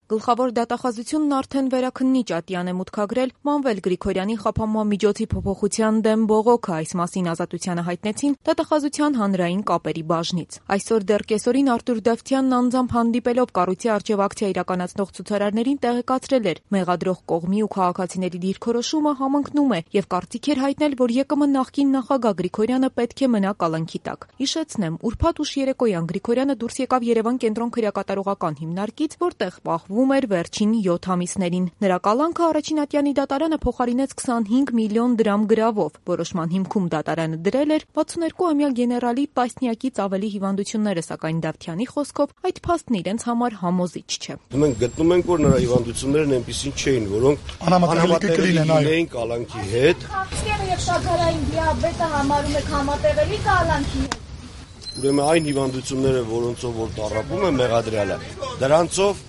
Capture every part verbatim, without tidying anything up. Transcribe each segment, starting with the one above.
Գլխավոր դատախազությունն արդեն վերաքննիչ ատյան է մուտքագրել Մանվել Գրիգորյանի խափանման միջոցի փոփոխության դեմ բողոքը, այս մասին Ազատությանը հայտնեցին դատախազության հանրային կապերի բաժնից։ Այսօր դեռ կեսօրին Արտուր Դավթյանն անձամբ հանդիպելով կառույցի առջև ակցիա իրականացնող ցուցարարներին տեղեկացրել էր՝ մեղադրող կողմի ու քաղաքացիների դիրքորոշումը համընկնում է եւ կարծիք էր հայտնել, որ ԵԿՄ նախկին նախագահ Գրիգորյանը պետք է մնա կալանքի տակ։ Հիշեցնեմ, ուրբաթ ուշ երեկոյան Գրիգորյանը դուրս եկավ Երևան կենտրոն քրեակատարողական հիմնարկից, որտեղ պահվում էր վերջին յոթ ամիսներին։ Նրա կալանքը առաջին ատյանի դատարանը փոխարինեց քսանհինգ միլիոն դրամ գրավով։ Որոշման հիմքում դատարանը դրել էր վաթսուններկուամյա գեներալի տասնյակից ավելի հիվանդությունները, սակայն Դավթյանի խոսքով այդ փաստն իրենց համար համոզիչ չէ։ Մենք գտնում ենք, որ նրա հիվանդություններն այնպիսին չէին, որոնք անհամատեղելի լինեին կալանքի հետ։ Եւ շաքարային դիաբետը համարում եք համատեղելի կալանքի հետ։ Ուրեմն այն հիվանդությունները, որոնցով որ տառապում է մեղադրյալը, դրանցով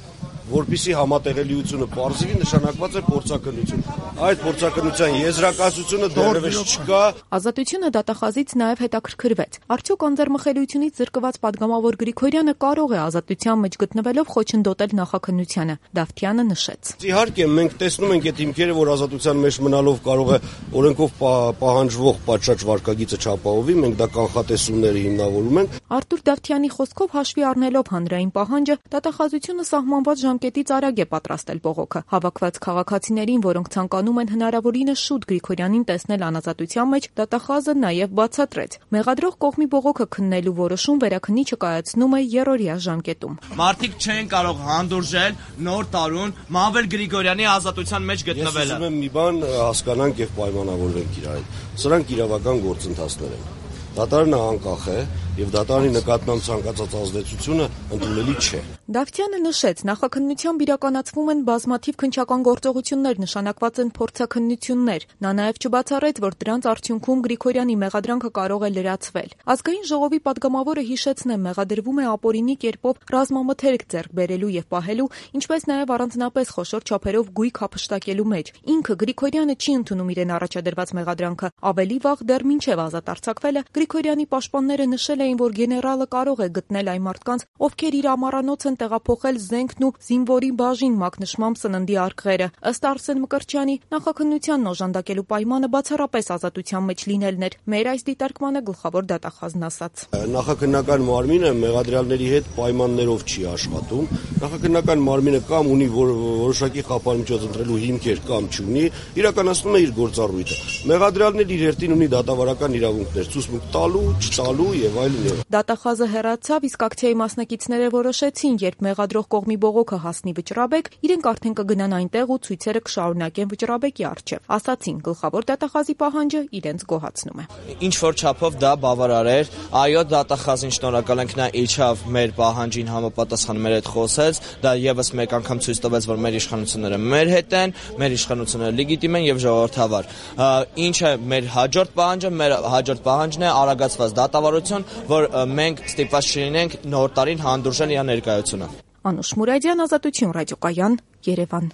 որպիսի համատեղելիությունը պարզվի, նշանակված է փորձաքննություն։ Այդ փորձաքննության եզրակացությունը դեռևս չկա։ Ազատությունը դատախազից նաև հետաքրքրվեց։ Արդյոք անձեռմխելիությունից զրկված падգամավոր Գրիգորյանը կարող է ազատության մեջ գտնվելով խոչընդոտել նախաքննությանը։ Դավթյանը նշեց։ Իհարկե, մենք տեսնում ենք այդ հիմքերը, որ ազատության մեջ մնալով կարող է օրենքով պահանջվող պատշաճ վարկագիծը չապահովի, մենք դա կանխատեսումների հիմնավորում ենք։ Արտուր Դավթյանի խոսքով հաշվի առնելով հանրային պահանջը, դատախազությունը սահմանված ժամկետից արագ է պատրաստել բողոքը։ Հավաքված քաղաքացիներին, որոնք ցանկանում են հնարավորինս շուտ Գրիգորյանին տեսնել անազատության մեջ, դատախազը նաև բացատրեց։ Մեղադրող կողմի բողոքը քննելու որոշում վերաքննիչը կայացնում է երրորդյա ժամկետում։ Մարդիկ չեն կարող հանդուրժել նոր տարուն Մանվել Գրիգորյանի ազատության մեջ գտնվելը։ Ես ուզում եմ մի բան հասկանանք եւ պայմանավորվենք իրար հետ։ Սրանք իրավական գործընթացներ են։ Դատարանը անկախ է եւ դատարանի նկատմամբ ցանկացած ազդեցությունը ընդունելի չէ։ Դավթյանը նշեց, նախաքննությամբ իրականացվում են բազմաթիվ քննչական գործողություններ, նշանակված են փորձաքննություններ։ Նա նաև չբացառեց, որ դրանց արդյունքում Գրիգորյանի մեղադրանքը կարող է լրացվել։ Ազգային ժողովի падգամավորը հիշեցնեմ, մեղադրվում է ապօրինի կերպով ռազմամթերք ձեռք բերելու եւ պահելու, ինչպես նաև առանձնապես խոշոր չափերով գույք հափշտակելու մեջ։ Ինքը Գրիգորյանը չի ընդունում իրեն առաջադրված մեղադրանքը։ Ավելի վաղ դեռ մինչև ազատ արձակվելը Գրիգորյանի պաշտպանները նշել էին, որ գեներալը կարող է գտնել այն մարդկանց, ովքեր իր ամառանոց են տեղափոխել զենքն ու զինվորի բաժին մակնշմամբ սննդի արկղերը։ Ըստ Արսեն Մկրտչյանի, նախաքննությանն օժանդակելու պայմանը բացառապես ազատության մեջ լինելն էր։ Մեր այս դիտարկմանը գլխավոր դատախազն ասաց. Նախաքննական մարմինը մեղադրյալների հետ պայմաններով չի աշխատում։ Նախաքննական մարմինը կամ ունի որոշակի խափանմիջոց ընտրելու հիմքեր, կամ չունի, իրականացնում է իր գործառույթը։ Մեղադրյալն իր հերթին ունի դատավարական իրավունքներ, ցուցմունք տալու, չտալու եւ այլն։ Դատախազը հեռացավ, իսկ ակցիայի մասնակիցները որոշեցին, երբ մեղադրող կողմի բողոքը հասնի Վճռաբեկ, իրենք արդեն կգնան այնտեղ ու ցույցերը կշարունակեն Վճռաբեկի առջև։ Ասացին, գլխավոր դատախազի պահանջը իրենց գոհացնում է։ Ինչ որ չափով դա բավարար էր, այո, դատախազին շնորհակալ ենք, նա իջավ մեր պահանջին համապատասխան մեր հետ խոսեց, դա եւս մեկ անգամ ցույց տվեց, որ մեր իշխանությունները մեր հետ են, մեր իշխանությունները լեգիտիմ են եւ ժողովրդավար։ Ինչ է մեր հաջորդ պահանջը, մեր հաջորդ պահանջն է արագացված դատավարություն, որ մենք ստիպված չլինենք նոր տարին հանդուրժել իր ներկայությունը։ Անուշ Մուրադյան, Ազատություն ռադիոկայան, Երևան։